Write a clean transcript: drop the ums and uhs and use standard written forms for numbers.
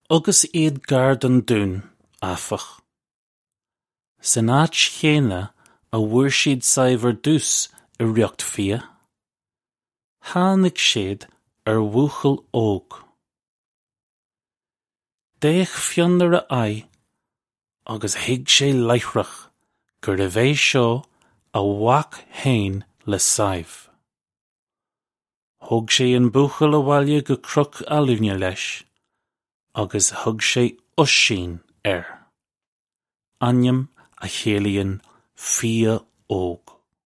Agus iad gar don dún, áfach, san áit chéanna a bhfuair siad Sadhbh ar dtús i riocht fia, tháinig siad ar bhuachaill óg. D'fhéach Fionn ar a aghaidh agus thuig sé láithreach gurbh é seo a mhac féin le Sadhbh. Thóg sé an buachaill abhaile go Cnoc Almhna leis agus thug sé Oisín air, ainm a chiallaíonn fia óg.